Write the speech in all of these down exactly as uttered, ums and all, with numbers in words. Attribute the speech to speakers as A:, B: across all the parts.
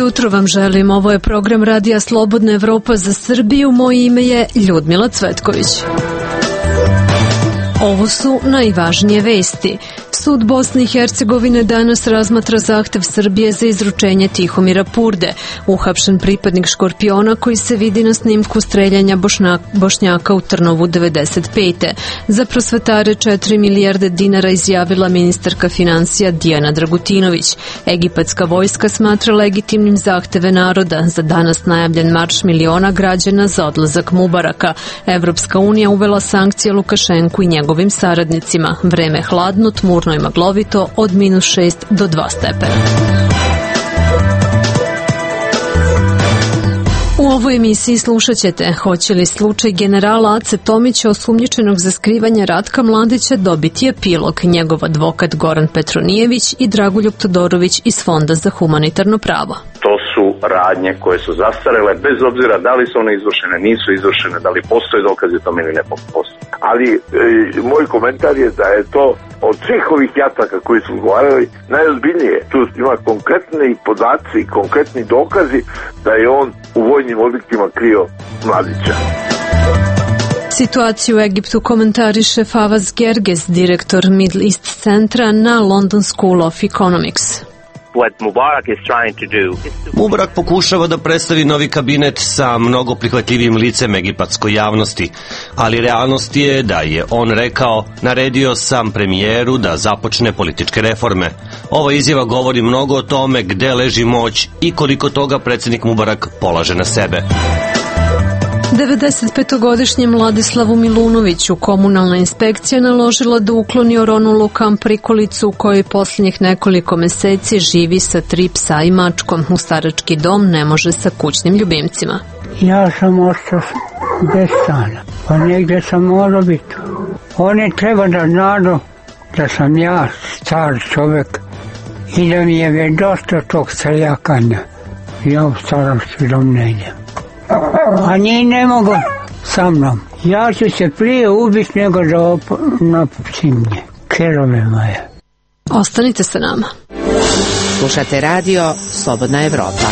A: jutro vam želim. Ovo je program Radija Slobodna Evropa za Srbiju. Moje ime je Ljudmila Cvetković. Ovo su najvažnije vesti. Sud Bosne i Hercegovine danas razmatra zahtev Srbije za izručenje Tihomira Purde, uhapšen pripadnik Škorpiona koji se vidi na snimku streljanja Bošna, Bošnjaka u Trnovu devedeset pete. Za prosvetare četiri milijarde dinara izjavila ministarka financija Dijana Dragutinović. Egipatska vojska smatra legitimnim zahteve naroda za danas najavljen marš miliona građana za odlazak Mubaraka. Evropska unija uvela sankcije Lukašenku i njegovim saradnicima. Vreme hladno, tmurno i maglovito od minus šest do dva stepena. U ovoj emisiji slušat ćete hoće li slučaj generala Ace Tomića osumnjičenog za skrivanje Ratka Mladića dobiti epilog. Njegov advokat Goran Petronijević i Dragoljub Todorović iz Fonda za humanitarno pravo.
B: To su radnje koje su zastarele, bez obzira da li su one izvršene, nisu izvršene, da li postoje dokazi tome ili ne postoje.
C: Ali e, moj komentar je da je to od svih ovih jataka koji su govorili najozbiljnije. Tu ima konkretni podaci i konkretni dokazi da je on u vojnim objektima krio Mladića.
A: Situaciju u Egiptu komentariše Favaz Gerges, direktor Middle East centra na London School of Economics.
D: Mubarak pokušava da predstavi novi kabinet sa mnogo prihvatljivim licem egipatskoj javnosti, ali realnost je da je on rekao, naredio sam premijeru da započne političke reforme. Ova izjava govori mnogo o tome gde leži moć i koliko toga predsjednik Mubarak polaže na sebe.
A: devedesetpetogodišnjem Vladislavu Milunoviću komunalna inspekcija naložila da ukloni oronulu kamp prikolicu u kojoj posljednjih nekoliko meseci živi sa tri psa i mačkom. U starački dom ne može sa kućnim ljubimcima.
E: Ja sam ostao bez stana, pa negdje sam morao biti. Oni treba da znaju da sam ja star čovjek i da mi je već dosta tog streljakanja. Ja u starački dom ne idem. A njih ne mogu sa mnom. Ja ću se prije ubiti nego da op- napušim nje. Kerove moje.
A: Ostanite sa nama.
F: Slušate radio Slobodna Evropa.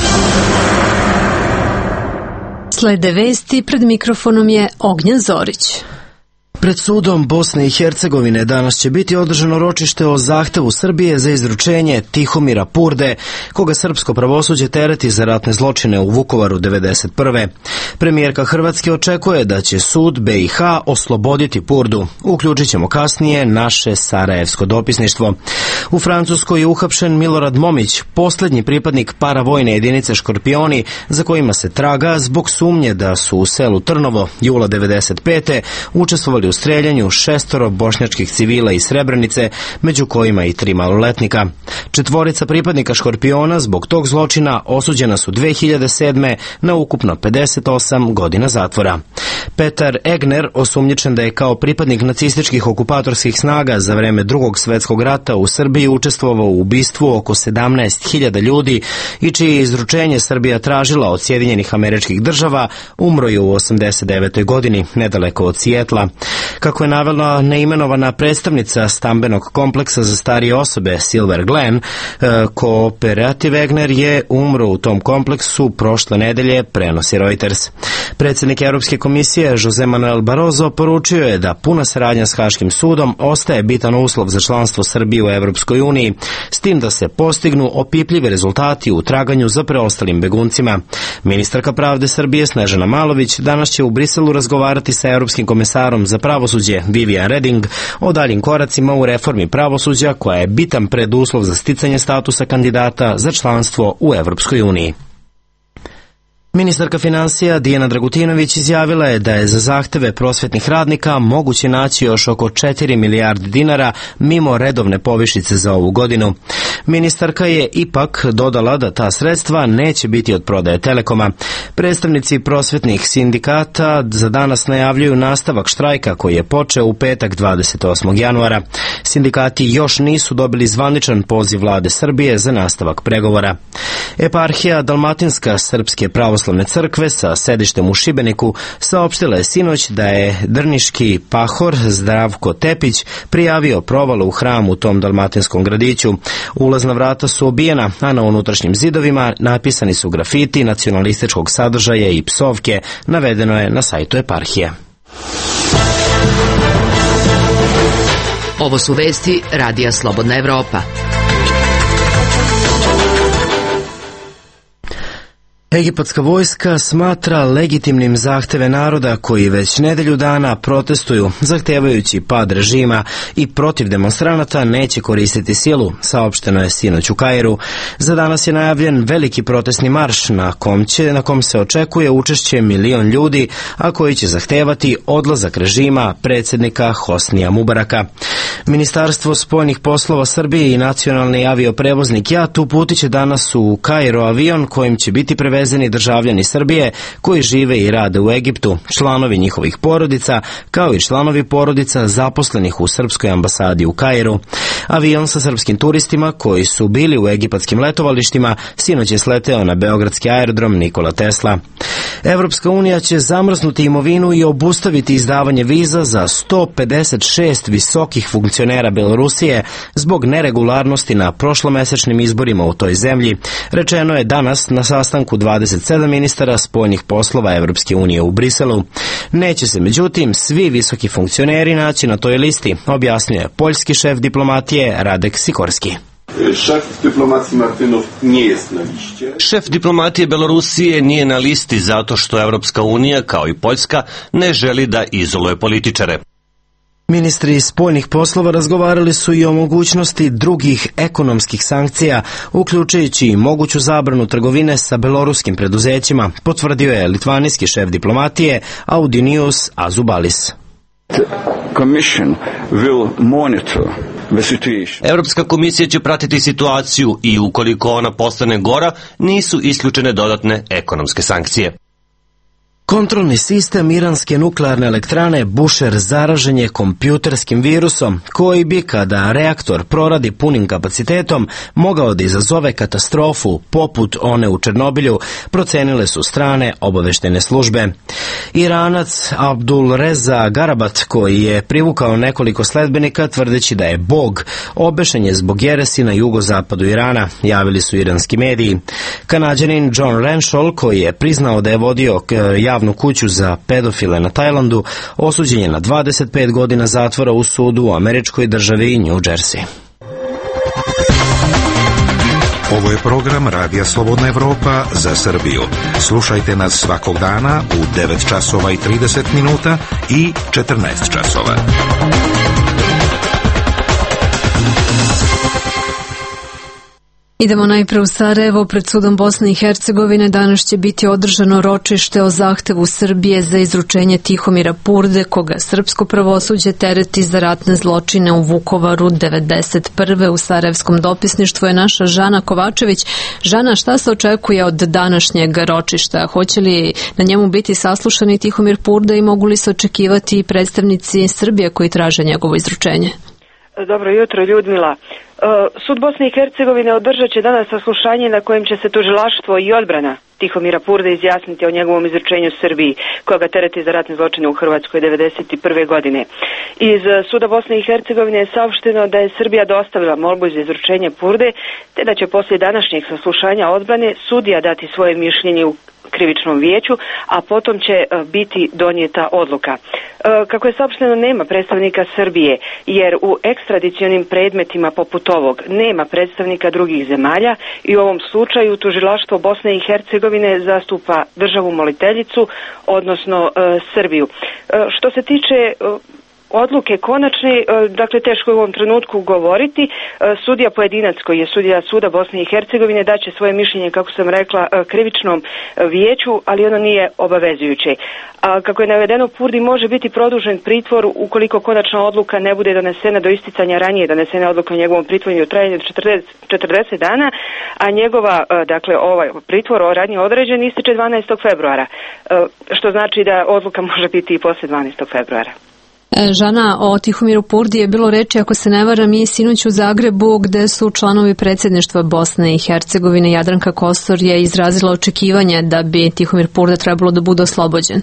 A: Slede vesti, pred mikrofonom je Ognjen Zorić.
G: Pred sudom Bosne i Hercegovine danas će biti održano ročište o zahtevu Srbije za izručenje Tihomira Purde, koga srpsko pravosuđe tereti za ratne zločine u Vukovaru devedeset prve. Premijerka Hrvatske očekuje da će sud B i H osloboditi Purdu. Uključit ćemo kasnije naše sarajevsko dopisništvo. U Francuskoj je uhapšen Milorad Momić, posljednji pripadnik paravojne jedinice Škorpioni, za kojima se traga zbog sumnje da su u selu Trnovo jula devedeset pete učestvovali u streljanju šestoro bošnjačkih civila iz Srebrenice, među kojima i tri maloletnika. Četvorica pripadnika Škorpiona zbog tog zločina osuđena su dve hiljade sedme na ukupno pedeset osam godina zatvora. Petar Egner, osumnjičen da je kao pripadnik nacističkih okupatorskih snaga za vreme Drugog svjetskog rata u Srbiji učestvovao u ubistvu oko sedamnaest hiljada ljudi i čije izručenje Srbija tražila od Sjedinjenih Američkih Država, umro je u osamdeset devetoj godini, nedaleko od Sijetla. Kako je navela neimenovana predstavnica stambenog kompleksa za starije osobe Silver Glen, kooperativ Egner je umro u tom kompleksu prošle nedelje, prenosi Reuters. Predsjednik Europske komisije Jose Manuel Barroso poručio je da puna saradnja s Haškim sudom ostaje bitan uslov za članstvo Srbije u Europskoj uniji, s tim da se postignu opipljivi rezultati u traganju za preostalim beguncima. Ministarka pravde Srbije Snežana Malović danas će u Briselu razgovarati sa europskim komisarom za pravosuđe Vivian Reding o daljim koracima u reformi pravosuđa, koja je bitan preduslov za sticanje statusa kandidata za članstvo u Europskoj uniji. Ministarka financija Dijana Dragutinović izjavila je da je za zahteve prosvjetnih radnika moguće naći još oko četiri milijarde dinara mimo redovne povišice za ovu godinu. Ministarka je ipak dodala da ta sredstva neće biti od prodaje Telekoma. Predstavnici prosvjetnih sindikata za danas najavljuju nastavak štrajka koji je počeo u petak dvadeset osmog januara. Sindikati još nisu dobili zvaničan poziv vlade Srbije za nastavak pregovora. Eparhija Dalmatinska Srpske pravoslavne pravoslavne crkve sa sedištem u Šibeniku saopštila je sinoć da je drniški pahor Zdravko Tepić prijavio provalu u hramu u tom dalmatinskom gradiću. Ulazna vrata su obijena, a na unutrašnjim zidovima napisani su grafiti nacionalističkog sadržaja i psovke, navedeno je na sajtu eparhije.
F: Ovo su vesti Radija Slobodna Evropa.
G: Egipatska vojska smatra legitimnim zahteve naroda koji već nedelju dana protestuju, zahtevajući pad režima i protiv demonstranata neće koristiti silu, saopšteno je sinoć u Kairu. Za danas je najavljen veliki protestni marš na kom, će, na kom se očekuje učešće milion ljudi, a koji će zahtevati odlazak režima predsjednika Hosnija Mubaraka. Ministarstvo spoljnih poslova Srbije i nacionalni avioprevoznik JAT uputit će danas u Kairo avion kojim će biti prevezeni državljani Srbije koji žive i rade u Egiptu, članovi njihovih porodica, kao i članovi porodica zaposlenih u srpskoj ambasadi u Kairu. Avion sa srpskim turistima koji su bili u egipatskim letovalištima sinoć je sleteo na beogradski aerodrom Nikola Tesla. Evropska unija će zamrznuti imovinu i obustaviti izdavanje viza za sto pedeset šest visokih funkcionera Belorusije zbog neregularnosti na prošlomesečnim izborima u toj zemlji, rečeno je danas na sastanku dvadeset sedam ministara spoljnih poslova Evropske unije u Briselu. Neće se međutim svi visoki funkcioneri naći na toj listi, objasnjuje poljski šef diplomatije Radek Sikorski.
H: Šef diplomatije Martinov nije na listi.
D: Šef diplomatije Belorusije nije na listi zato što Evropska unija, kao i Poljska, ne želi da izoluje političare.
G: Ministri spoljnih poslova razgovarali su i o mogućnosti drugih ekonomskih sankcija, uključujući i moguću zabranu trgovine sa beloruskim preduzećima, potvrdio je litvanijski šef diplomatije Audinius Azubalis.
D: Evropska komisija će pratiti situaciju i ukoliko ona postane gora, nisu isključene dodatne ekonomske sankcije.
G: Kontrolni sistem iranske nuklearne elektrane Bushehr zaražen je kompjuterskim virusom koji bi, kada reaktor proradi punim kapacitetom, mogao da izazove katastrofu poput one u Černobilju, procenile su strane obaveštajne službe. Iranac Abdul Reza Garabat, koji je privukao nekoliko sledbenika tvrdeći da je bog, obešen je zbog jeresi na jugozapadu Irana, javili su iranski mediji. Kanađanin John Renshaw, koji je priznao da je vodio javnu kuću za pedofile na Tajlandu, osuđen je na dvadeset pet godina zatvora u sudu u američkoj državi New Jersey.
I: Ovo je program Radija Slobodna Evropa za Srbiju. Slušajte nas svakog dana u devet časova i trideset minuta i četrnaest časova.
A: Idemo najpre u Sarajevo. Pred sudom Bosne i Hercegovine danas će biti održano ročište o zahtevu Srbije za izručenje Tihomira Purde, koga srpsko pravosuđe tereti za ratne zločine u Vukovaru devedeset prve. U sarajevskom dopisništvu je naša Žana Kovačević. Žana, šta se očekuje od današnjeg ročišta? Hoće li na njemu biti saslušani Tihomir Purde i mogu li se očekivati predstavnici Srbije koji traže njegovo izručenje?
J: Dobro jutro, Ljudmila. Sud Bosne i Hercegovine održat će danas saslušanje na kojem će se tužilaštvo i odbrana Tihomira Purde izjasniti o njegovom izručenju Srbiji, koga tereti za ratne zločine u Hrvatskoj devedeset prve godine. Iz Suda Bosne i Hercegovine je saopšteno da je Srbija dostavila molbu za izručenje Purde, te da će poslije današnjeg saslušanja odbrane sudija dati svoje mišljenje u krivičnom vijeću, a potom će biti donijeta odluka. Kako je saopšteno, nema predstavnika Srbije, jer u ekstradicionim predmetima poput ovog nema predstavnika drugih zemalja i u ovom slučaju tužilaštvo Bosne i Hercegovine zastupa državu moliteljicu, odnosno Srbiju. Što se tiče odluke konačne, dakle teško je u ovom trenutku govoriti. Sudija pojedinac koji je sudija Suda Bosne i Hercegovine daće svoje mišljenje, kako sam rekla, krivičnom vijeću, ali ono nije obavezujuće. A kako je navedeno, Purdi može biti produžen pritvor ukoliko konačna odluka ne bude donesena do isticanja ranije donesene odluke o njegovom pritvoru u trajanju četrdeset dana, a njegova, dakle, ovaj pritvor ranije određen ističe dvanaestog februara, što znači da odluka može biti i posle dvanaestog februara.
A: Žana, o Tihomiru Purdi je bilo reči, ako se ne varam, i sinoć u Zagrebu, gde su članovi predsjedništva Bosne i Hercegovine. Jadranka Kosor je izrazila očekivanje da bi Tihomir Purda trebalo da bude oslobođen.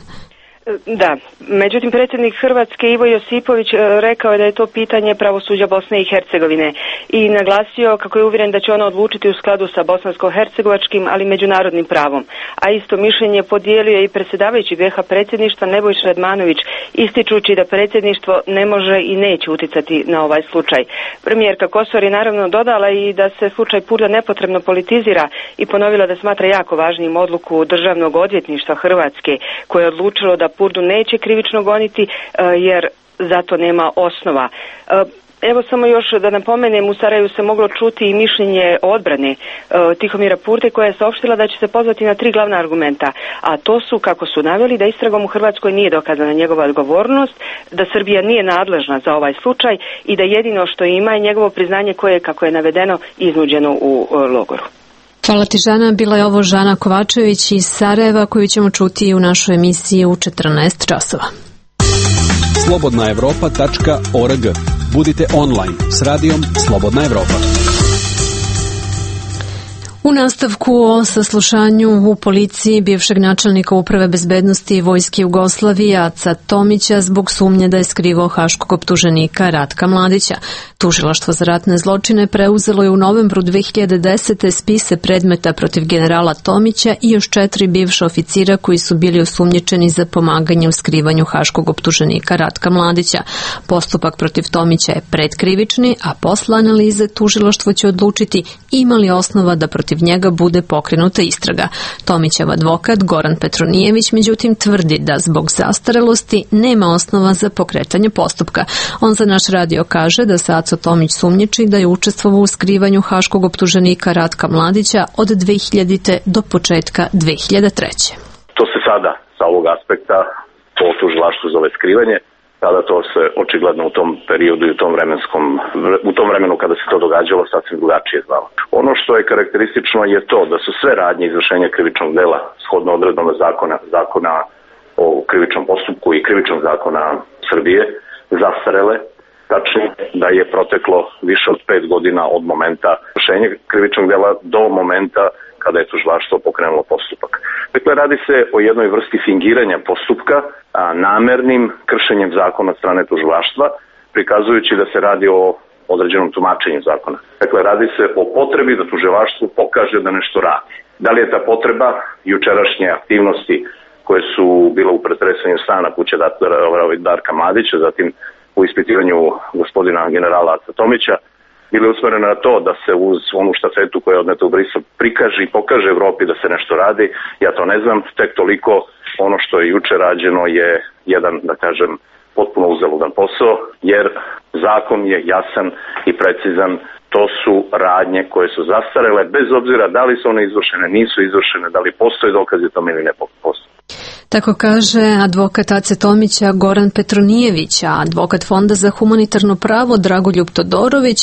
J: Da, međutim predsjednik Hrvatske Ivo Josipović rekao je da je to pitanje pravosuđa Bosne i Hercegovine i naglasio kako je uvjeren da će ono odlučiti u skladu sa bosansko-hercegovačkim, ali međunarodnim pravom. A isto mišljenje podijelio je i predsjedavajući V H predsjedništva Nebojša Radmanović, ističući da predsjedništvo ne može i neće uticati na ovaj slučaj. Premijerka Kosor je naravno dodala i da se slučaj Purda nepotrebno politizira i ponovila da smatra jako važnim odluku Državnog odvjetništva Hrvatske, koje je odlučilo da Purdu neće krivično goniti jer zato nema osnova. Evo samo još da napomenem, u Sarajevu se moglo čuti i mišljenje odbrane Tihomira Purde, koja je saopštila da će se pozvati na tri glavna argumenta, a to su, kako su naveli, da istragom u Hrvatskoj nije dokazana njegova odgovornost, da Srbija nije nadležna za ovaj slučaj i da jedino što ima je njegovo priznanje koje je, kako je navedeno, iznuđeno u logoru.
A: Hvala ti, Žana. Bila je ovo Žana Kovačević iz Sarajeva, koju ćemo čuti u našoj emisiji u četrnaest časova.
K: slobodna evropa tačka org. Budite online s radijom Slobodna Evropa.
A: U nastavku o saslušanju u policiji bivšeg načelnika Uprave bezbednosti Vojske Jugoslavije Aca Tomića zbog sumnje da je skrivao haškog optuženika Ratka Mladića. Tužilaštvo za ratne zločine preuzelo je u novembru dve hiljade desete. spise predmeta protiv generala Tomića i još četiri bivša oficira koji su bili osumnjičeni za pomaganje u skrivanju haškog optuženika Ratka Mladića. Postupak protiv Tomića je predkrivični, a posle analize tužilaštvo će odlučiti ima li osnova da protiv njega bude pokrenuta istraga. Tomićev advokat Goran Petronijević međutim tvrdi da zbog zastarelosti nema osnova za pokretanje postupka. On za naš radio kaže da se Aco Tomić sumnjiči da je učestvovao u skrivanju haškog optuženika Ratka Mladića od dve hiljadite. do početka dve hiljade treće.
B: To se sada sa ovog aspekta po tužilaštvu zove skrivanje. Tada to se očigledno u tom periodu i u tom vremenskom, u tom vremenu kada se to događalo sasvim drugačije zvalo. Ono što je karakteristično je to da su sve radnje izvršenja krivičnog dela shodno odredbama zakona, zakona o krivičnom postupku i krivičnog zakona Srbije zastarele, tačnije da je proteklo više od pet godina od momenta izvršenja krivičnog dela do momenta kada je tužilaštvo pokrenulo postupak. Dakle, radi se o jednoj vrsti fingiranja postupka, a namernim kršenjem zakona od strane tužilaštva, prikazujući da se radi o određenom tumačenju zakona. Dakle, radi se o potrebi da tužilaštvo pokaže da nešto radi. Da li je ta potreba jučerašnje aktivnosti koje su bile u pretresanju stana kuće Darka Mladića, zatim u ispitivanju gospodina generala Aca Tomića, bili usmereni na to da se uz onu štafetu koja je odneta u Brisel prikaže i pokaže Evropi da se nešto radi. Ja to ne znam, tek toliko ono što je juče rađeno je jedan, da kažem, potpuno uzaludan posao, jer zakon je jasan i precizan. To su radnje koje su zastarele, bez obzira da li su one izvršene, nisu izvršene, da li postoje dokazi tome ili ne postoje.
A: Tako kaže advokat Ace Tomića Goran Petronijević, a advokat Fonda za humanitarno pravo Dragoljub Todorović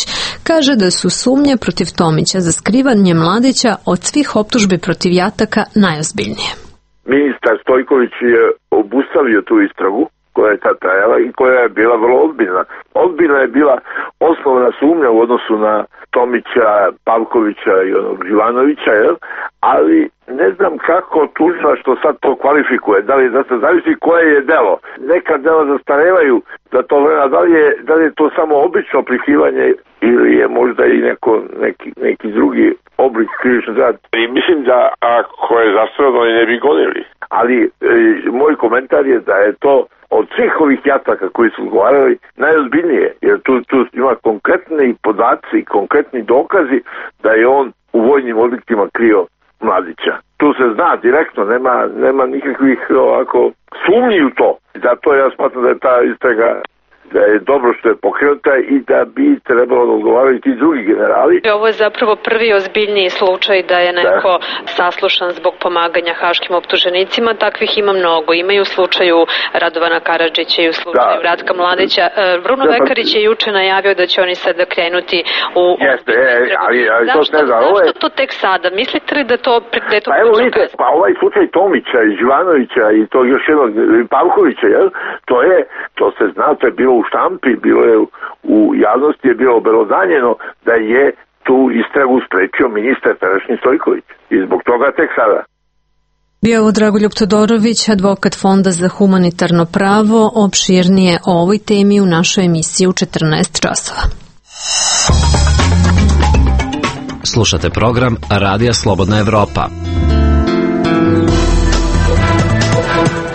A: kaže da su sumnje protiv Tomića za skrivanje Mladića od svih optužbi protiv jataka najozbiljnije.
C: Ministar Stojković je obustavio tu istragu koja je tad trajala i koja je bila vrlo ozbiljna. Ozbiljna je bila osnovna sumnja u odnosu na Tomića, Pavkovića i onog Živanovića, jel? Ali ne znam kako tužilaštvo sad to kvalifikuje, da li da se zavisi koje je delo. Neka dela zastarevaju za to vremena, da li je, da li je to samo obično prikrivanje ili je možda i neko, neki, neki drugi oblik krivičnog dela. I mislim da ako je zastarelo ne bi gonili. Ali e, moj komentar je da je to od svih ovih jataka koji su odgovarali najozbiljnije, jer tu, tu ima konkretni podaci i konkretni dokazi da je on u vojnim objektima krio Mladića. Tu se zna direktno, nema, nema nikakvih ovako sumnji u to. Zato ja smatram da je ta istraga da je dobro što je pokrenuta i da bi trebalo da odgovaraju ti drugi generali.
A: Ovo je zapravo prvi ozbiljniji slučaj da je neko da. saslušan zbog pomaganja haškim optuženicima. Takvih ima mnogo. Ima i u slučaju Radovana Karadžića i u slučaju da. Ratka Mladića. Bruno da, Vekarić je juče najavio da će oni sada krenuti u...
C: Jeste, e, ali, ali
A: zašto,
C: to ne znam.
A: Zašto
C: je...
A: to tek sada? Mislite li da to... Da je to
C: pa evo vidite, pa ovaj slučaj Tomića i Živanovića i to još jednog Pavkovića, jel? To je, to se zna, to je bilo u štampi, bilo je u javnosti je bilo obelodanjeno da je tu istragu sprečio ministar tadašnji Stojković i zbog toga tek sada.
A: Bio je ovo Dragoljub Todorović, advokat Fonda za humanitarno pravo. Opširnije o ovoj temi u našoj emisiji u četrnaest časova.
G: Slušate program Radija Slobodna Evropa.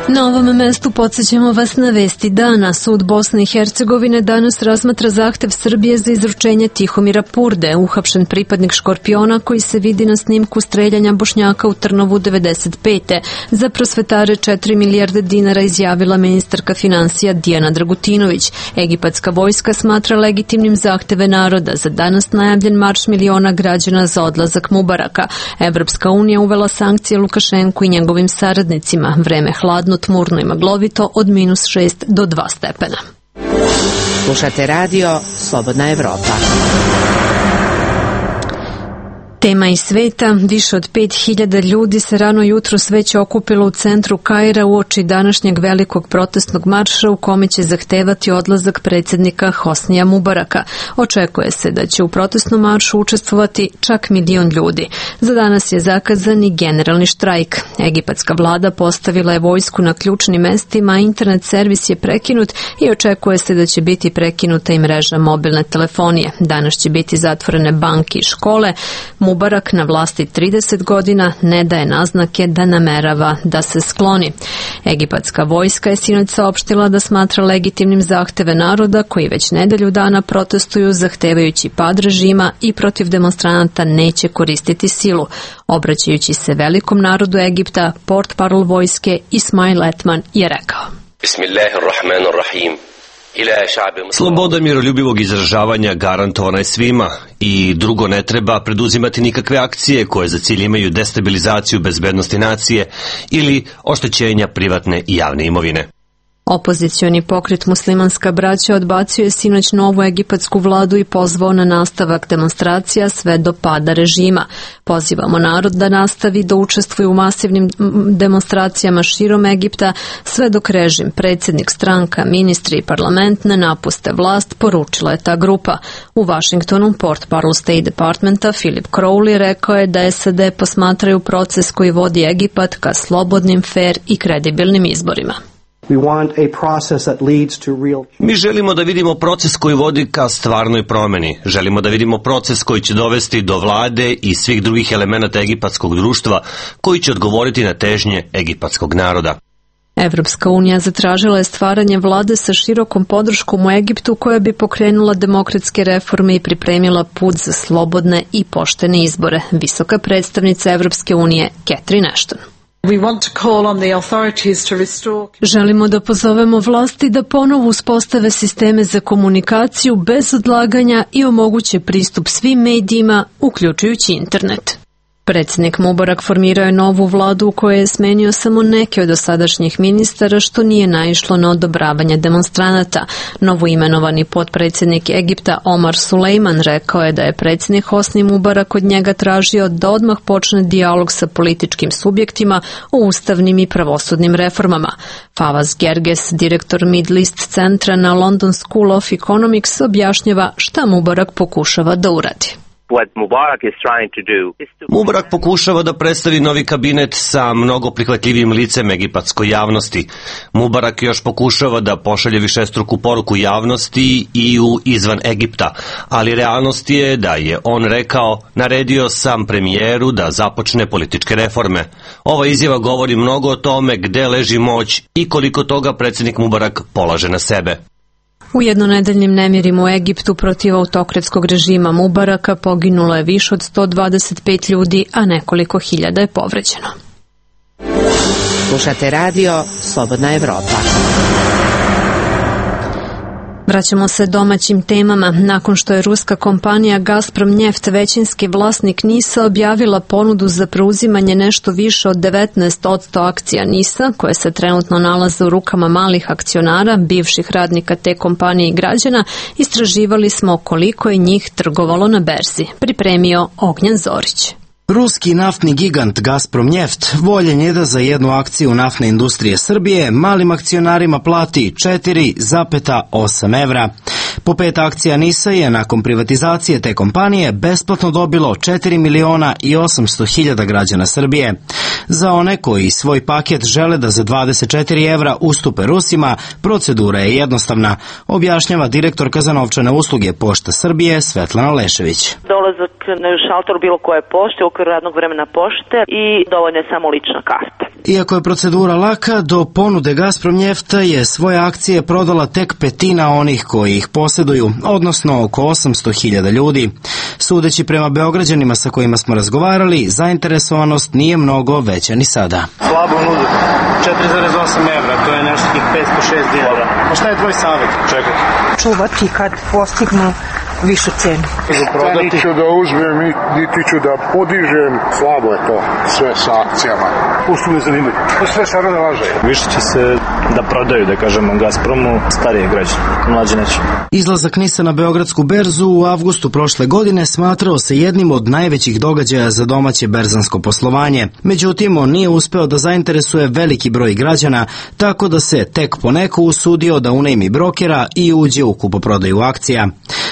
A: Na ovom mestu podsjećamo vas na vesti dana. Sud Bosne i Hercegovine danas razmatra zahtev Srbije za izručenje Tihomira Purde, uhapšen pripadnik Škorpiona koji se vidi na snimku streljanja Bošnjaka u Trnovu devedeset pete. Za prosvetare četiri milijarde dinara izjavila ministarka finansija Dijana Dragutinović. Egipatska vojska smatra legitimnim zahteve naroda za danas najavljen marš miliona građana za odlazak Mubaraka. Evropska unija uvela sankcije Lukašenku i njegovim saradnicima. Vreme hladno, tmurno i maglovito od minus šest do dva stepena.
F: Slušate radio Slobodna Evropa.
A: Tema iz sveta, više od pet hiljada ljudi se rano jutro već okupilo u centru Kaira uoči današnjeg velikog protestnog marša u kome će zahtevati odlazak predsjednika Hosnija Mubaraka. Očekuje se da će u protestnom maršu učestvovati čak milion ljudi. Za danas je zakazan i generalni štrajk. Egipatska vlada postavila je vojsku na ključnim mestima, internet servis je prekinut i očekuje se da će biti prekinuta i mreža mobilne telefonije. Danas će biti zatvorene banke i škole. Mubarak na vlasti trideset godina ne daje naznake da namerava da se skloni. Egipatska vojska je sinoć saopštila da smatra legitimnim zahteve naroda koji već nedelju dana protestuju zahtevajući pad režima i protiv demonstranata neće koristiti silu. Obraćajući se velikom narodu Egipta, portparol vojske Ismail Etman je rekao:
L: Bismillahirrahmanirrahim.
D: Sloboda miroljubivog izražavanja garantovana je svima i drugo ne treba preduzimati nikakve akcije koje za cilj imaju destabilizaciju bezbednosti nacije ili oštećenja privatne i javne imovine.
A: Opozicioni pokret Muslimanska braća odbacio je sinoć novu egipatsku vladu i pozvao na nastavak demonstracija sve do pada režima. Pozivamo narod da nastavi da učestvuje u masivnim demonstracijama širom Egipta sve dok režim, predsjednik, stranka, ministri i parlament ne napuste vlast, poručila je ta grupa. U Washingtonu portparol State Departmenta Philip Crowley rekao je da S A D posmatraju proces koji vodi Egipat ka slobodnim, fer i kredibilnim izborima.
D: Mi želimo da vidimo proces koji vodi ka stvarnoj promeni. Želimo da vidimo proces koji će dovesti do vlade i svih drugih elemenata egipatskog društva koji će odgovoriti na težnje egipatskog naroda.
A: Evropska unija zatražila je stvaranje vlade sa širokom podrškom u Egiptu koja bi pokrenula demokratske reforme i pripremila put za slobodne i poštene izbore. Visoka predstavnica Evropske unije Catherine Ashton. Želimo da pozovemo vlasti da ponovo uspostave sisteme za komunikaciju bez odlaganja i omoguće pristup svim medijima, uključujući internet. Predsjednik Mubarak formirao je novu vladu u kojoj je smenio samo neke od dosadašnjih ministara, što nije naišlo na odobravanje demonstranata. Novoimenovani potpredsjednik Egipta Omar Sulejman rekao je da je predsjednik Hosni Mubarak od njega tražio da odmah počne dijalog sa političkim subjektima o ustavnim i pravosudnim reformama. Fawaz Gerges, direktor Middle East centra na London School of Economics, objašnjava šta Mubarak pokušava da uradi.
D: Mubarak pokušava da predstavi novi kabinet sa mnogo prihvatljivim licem egipatskoj javnosti. Mubarak još pokušava da pošalje višestruku poruku javnosti i u izvan Egipta, ali realnost je da je on rekao, naredio sam premijeru da započne političke reforme. Ova izjava govori mnogo o tome gde leži moć i koliko toga predsjednik Mubarak polaže na sebe.
A: U jednonedeljnim nemirima u Egiptu protiv autokratskog režima Mubaraka poginulo je više od sto dvadeset pet ljudi, a nekoliko hiljada je povređeno.
F: Slušate radio Slobodna Evropa.
A: Vraćamo se domaćim temama. Nakon što je ruska kompanija Gazprom Njeft, većinski vlasnik NIS-a, objavila ponudu za preuzimanje nešto više od devetnaest posto akcija NIS-a, koje se trenutno nalaze u rukama malih akcionara, bivših radnika te kompanije i građana, istraživali smo koliko je njih trgovalo na berzi. Pripremio Ognjen Zorić.
G: Ruski naftni gigant Gazprom Njeft voljen je da za jednu akciju naftne industrije Srbije malim akcionarima plati četiri zarez osam evra. Po pet akcija NIS-a je nakon privatizacije te kompanije besplatno dobilo četiri miliona i osamsto hiljada građana Srbije. Za one koji svoj paket žele da za dvadeset četiri evra ustupe Rusima, procedura je jednostavna, objašnjava direktorka za novčane usluge Pošta Srbije Svetlana Lešević.
M: Dolazak na šalter bilo koje pošte u okviru radnog vremena pošte i dovoljno je samo lična karta.
G: Iako je procedura laka, do ponude Gazprom Njefta je svoje akcije prodala tek petina onih koji ih posjeduju, odnosno oko osamsto hiljada ljudi. Sudeći prema Beograđanima sa kojima smo razgovarali, zainteresovanost nije mnogo veća ni sada.
N: Slabo nude, četiri zarez osam evra, to je nešto tih petsto šest dinara. Pa šta je tvoj savjet? Čekaj.
O: Čuvati kad postignu višu cenu.
P: Niti ću da uzmem, niti ću da podižem, slabo je to sve sa akcijama.
N: Pusto me zanimaju. To sve sada da laže. Više će se da prodaju, da kažemo, Gazpromu starije građane, mlađe neće.
G: Izlazak NIS-a na Beogradsku berzu u avgustu prošle godine smatrao se jednim od najvećih događaja za domaće berzansko poslovanje. Međutim, on nije uspeo da zainteresuje veliki broj građana, tako da se tek poneko usudio da unajmi brokera i uđe u kupoprodaju akcija.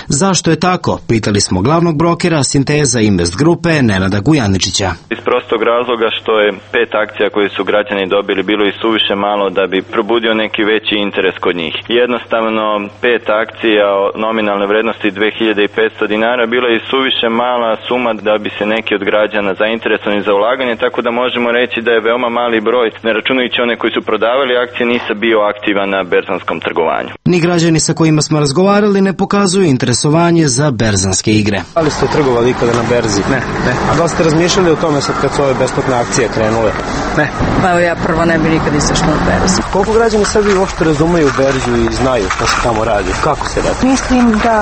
G: Zašto je tako? Pitali smo glavnog brokera Sinteza Invest grupe Nenada Gujaničića.
Q: Iz prostog razloga što je pet akcija koje su građani dobili bilo i suviše malo da bi probudio neki veći interes kod njih. Jednostavno pet akcija o nominalne vrednosti dve hiljade petsto dinara bila je suviše mala suma da bi se neki od građana zainteresovani za ulaganje, tako da možemo reći da je veoma mali broj, ne računajući one koji su prodavali akcije, NIS-a bio aktivan na berzanskom trgovanju.
G: Ni građani sa kojima smo razgovarali ne pokazuju interesovanje za berzanske igre.
N: Ali ste trgovali ikada na berzi? Ne, ne. A da li ste razmišljali o tome sad kad su ove besplatne akcije krenule? Ne.
O: Pa evo ja prvo ne bi nikad isašla na berzu.
N: Koliko građani Srbije uopšte razumeju berzu i znaju šta se tamo radi? Kako se radi?
O: Mislim da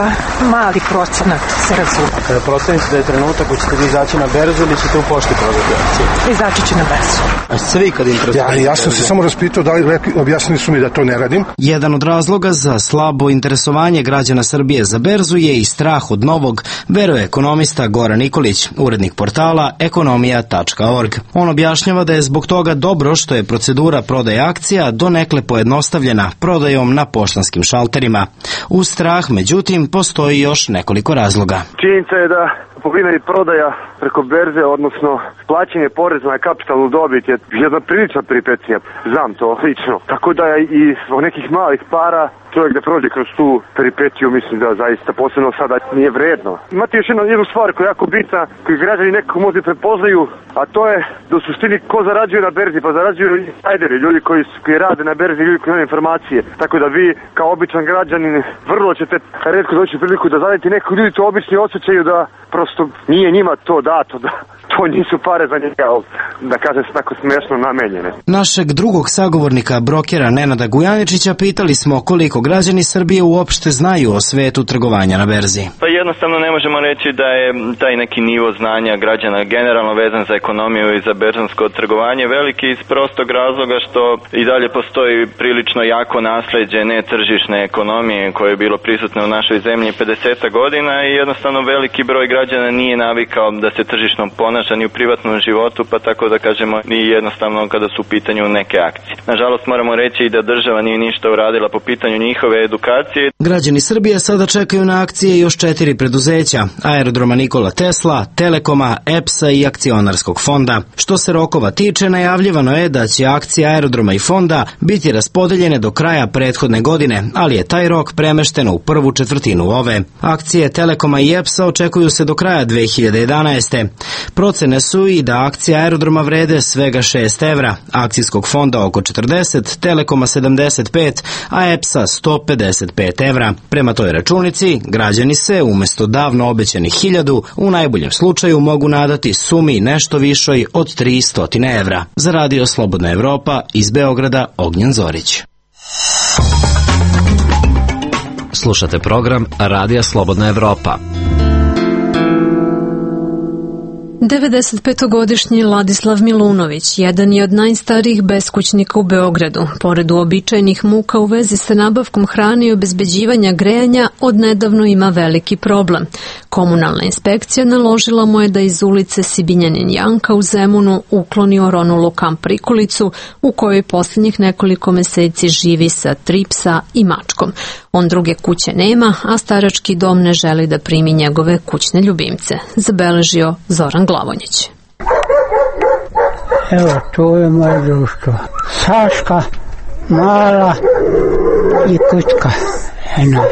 O: mali procenat se razume.
N: Kada procenite da je trenutak ko ćete vi izaći na berzu ili ćete u pošti prodati akcije?
O: Izaći ću na berzu.
N: A ste vi kad im
P: ja, ja sam se samo raspitao da li objasnili su mi da to ne radim.
G: Jedan od razloga za slabo interesovanje građana Srbije za berzu je i strah od novog, veruje ekonomista Goran Nikolić, urednik portala ekonomija tačka org. On objašnjava da je zbog toga dobro što je procedura prodaje akcija donekle pojednostavljena prodajom na poštanskim šalterima. Uz strah, međutim, postoji još nekoliko razloga.
R: Činjenica je da kupovina i prodaja preko berze, odnosno plaćanje poreza na kapitalnu dobit je jedna prilična peripecija. Znam to lično. Tako da je i zbog nekih malih para čovjek da prođe kroz tu peripetiju, mislim da zaista posebno sada nije vredno. Imate još jednu, jednu stvar koja je jako bitna, koju građani nekako možda prepoznaju, a to je da u suštini ko zarađuje na berzi, pa zarađuju insajderi, ljudi koji, koji rade na berzi, ljudi koji imaju informacije. Tako da vi kao običan građanin vrlo ćete retko doći u priliku da zadajete nekog, ljudi to obični osjećaju da prosto nije njima to dato, da to nisu pare za njega, da kažem se tako smešno namenjene.
G: Našeg drugog sagovornika, brokera Nenada Gujaničića, pitali smo koliko građani Srbije uopšte znaju o svetu trgovanja na berzi.
Q: Pa jednostavno ne možemo reći da je taj neki nivo znanja građana generalno vezan za ekonomiju i za berzansko trgovanje veliki iz prostog razloga što i dalje postoji prilično jako nasleđe netržišne ekonomije koje je bilo prisutno u našoj zemlji pedeset godina i jednostavno veliki broj građana nije navikao da se tržišno ponaša ni u privatnom životu, pa tako da kažemo i jednostavno kada su u pitanju neke akcije. Nažalost moramo reći i da država nije ništa uradila po pitanju njihove edukacije.
G: Građani Srbije sada čekaju na akcije još četiri preduzeća: Aerodroma Nikola Tesla, Telekoma, E P S-a i Akcionarskog fonda. Što se rokova tiče, najavljivano je da će akcije Aerodroma i fonda biti raspodeljene do kraja prethodne godine, ali je taj rok premešten u prvu četvrtinu ove. Akcije Telekoma i E P S-a očekuju se do kraja dve hiljade jedanaeste. Procene su i da akcije Aerodroma vrede svega šest evra, Akcijskog fonda oko četrdeset, Telekoma sedamdeset pet, a E P S-a sto pedeset pet evra. Prema toj računici, građani se umesto davno obećanih hiljadu u najboljem slučaju mogu nadati sumi nešto višoj od tristo evra. Za Radio Slobodna Evropa iz Beograda, Ognjen Zorić. Slušate program Radija Slobodna Evropa.
A: devedesetpetogodišnji Ladislav Milunović jedan je od najstarijih beskućnika u Beogradu. Pored uobičajenih muka u vezi sa nabavkom hrane i obezbeđivanja grejanja, odnedavno ima veliki problem. Komunalna inspekcija naložila mu je da iz ulice Sibinjanin Janka u Zemunu ukloni oronulu kamp prikolicu u kojoj posljednjih nekoliko meseci živi sa tri psa i mačkom. On druge kuće nema, a starački dom ne želi da primi njegove kućne ljubimce, zabeležio Zoran Glavonjić.
E: Evo, to je moje društvo. Saška, Mala i Kućka. Eno.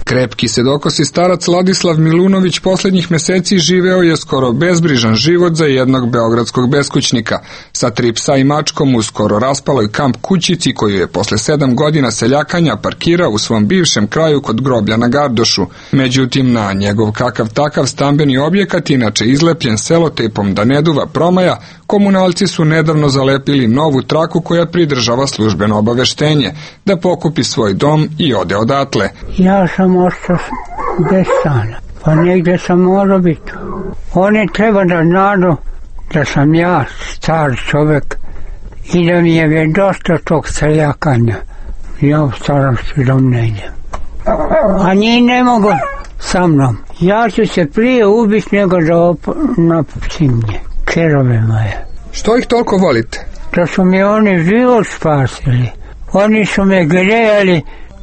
S: Krepki sedokosi starac Ladislav Milunović poslednjih meseci živeo je skoro bezbrižan život za jednog beogradskog beskućnika. Sa tri psa i mačkom u skoro raspaloj kamp kućici koju je posle sedam godina seljakanja parkirao u svom bivšem kraju kod groblja na Gardošu. Međutim, na njegov kakav takav stambeni objekat, inače izlepljen selotejpom da ne duva promaja, komunalci su nedavno zalepili novu traku koja pridržava službeno obaveštenje da pokupi svoj dom i ode odatle.
E: Ja sam ostao bez stana, pa negdje sam morao biti. Oni treba da znaju da sam ja star čovjek i da mi je dosta tog seljakanja. Ja u starosti dom ne idem. A njih ne mogu sa mnom. Ja ću se prije ubiti nego da napustim nje. Kerove moje.
S: Što ih toliko volite?
E: Da su mi oni život spasili. Oni su me grejali,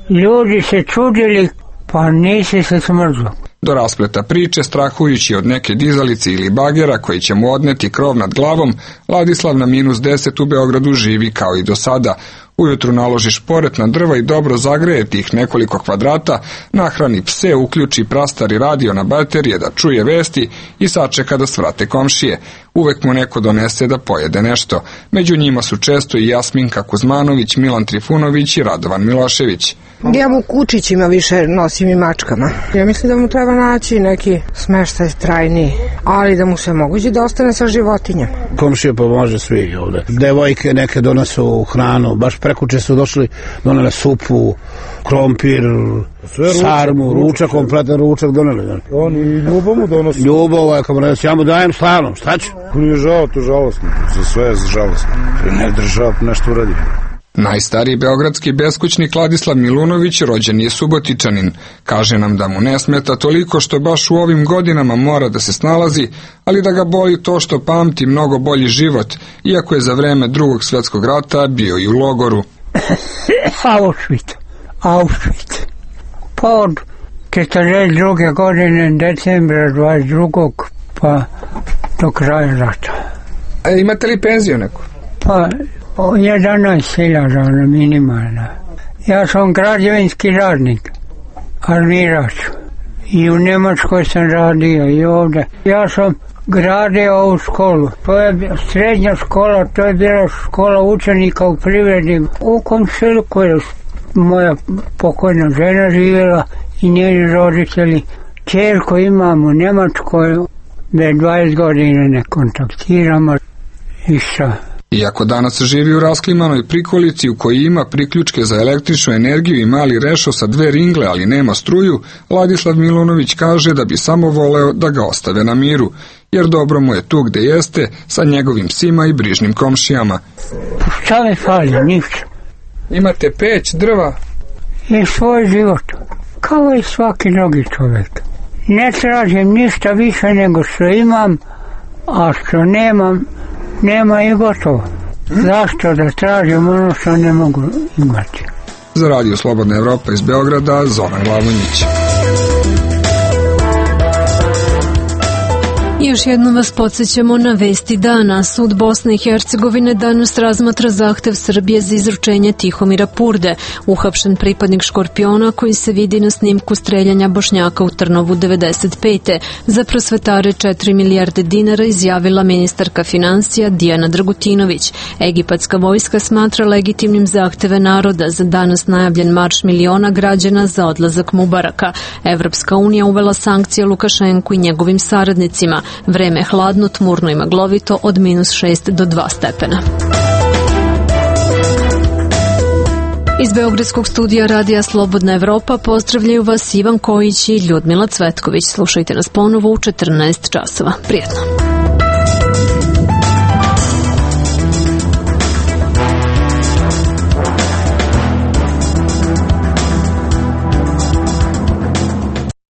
E: ljudi se čudili, pa nisi se smrzlo.
S: Do raspleta priče, strahujući od neke dizalice ili bagera koji će mu odneti krov nad glavom, Ladislav na minus deset u Beogradu živi kao i do sada. Ujutru naloži šporet na drva i dobro zagreje tih nekoliko kvadrata, nahrani pse, uključi prastari radio na baterije da čuje vesti i sačeka da svrate komšije. Uvek mu neko donese da pojede nešto. Među njima su često i Jasminka Kuzmanović, Milan Trifunović i Radovan Milošević.
O: Ja mu kučićima više nosim i mačkama. Ja mislim da mu treba naći neki smeštaj trajni, ali da mu se moguće da ostane sa životinjama.
T: Komšije pomože svi ovde. Devojke neke donesu hranu, baš prekuče su došli, donele supu, krompir, sarmu, ručak, kompletan ručak doneli.
P: Oni i ljubav mu donosi.
T: Ljubav, ako mu reći, ja mu dajem stvarno, šta ću?
P: Nije žao, to žalostno, za sve je žalostno.
T: Ne država nešto uradi.
S: Najstariji beogradski beskućnik Ladislav Milunović rođen je Subotičanin. Kaže nam da mu ne smeta toliko što baš u ovim godinama mora da se snalazi, ali da ga boli to što pamti mnogo bolji život, iako je za vreme drugog svjetskog rata bio i u logoru.
E: Auschwitz, Auschwitz. Pa od četrdeset druge godine, decembra dvadeset drugog pa do kraja rata.
S: A imate li penziju neku?
E: Pa jedanaest hiljada minimalna. Ja sam građevinski radnik, armirač. I u Njemačkoj sam radio i ovdje. Ja sam gradio ovu školu. To je srednja škola, to je bila škola učenika u privredi. U komšiluku je moja pokojna žena živjela i njeni roditelji. Čerku imam u Njemačkoj, već dvadeset godina ne kontaktiramo i šta.
S: Iako danas živi u rasklimanoj prikolici u kojoj ima priključke za električnu energiju i mali rešo sa dve ringle, ali nema struju, Ladislav Milunović kaže da bi samo voleo da ga ostave na miru, jer dobro mu je tu gde jeste sa njegovim psima i brižnim komšijama.
E: Šta mi fali, ništa.
S: Imate peć, drva?
E: I svoj život, kao i svaki drugi čovjek. Ne tražim ništa više nego što imam, a što nemam, nema i gotovo. Zašto da tražim ono što ne mogu imati?
S: Za Radio Slobodna Evropa iz Beograda, Zoran Glavonjić.
A: Još jednom vas podsjećamo na vesti dana. Sud Bosne i Hercegovine danas razmatra zahtev Srbije za izručenje Tihomira Purde, uhapšen pripadnik Škorpiona koji se vidi na snimku streljanja Bošnjaka u Trnovu devedeset pete. Za prosvetare četiri milijarde dinara izjavila ministarka financija Dijana Dragutinović. Egipatska vojska smatra legitimnim zahteve naroda za danas najavljen marš miliona građana za odlazak Mubaraka. Evropska unija uvela sankcije Lukašenku i njegovim saradnicima. Vreme hladno, tmurno i maglovito od minus šest do dva stepena. Iz Beogradskog studija Radija Slobodna Evropa pozdravljaju vas Ivan Kojić i Ljudmila Cvetković. Slušajte nas ponovo u četrnaest časova. Prijetno.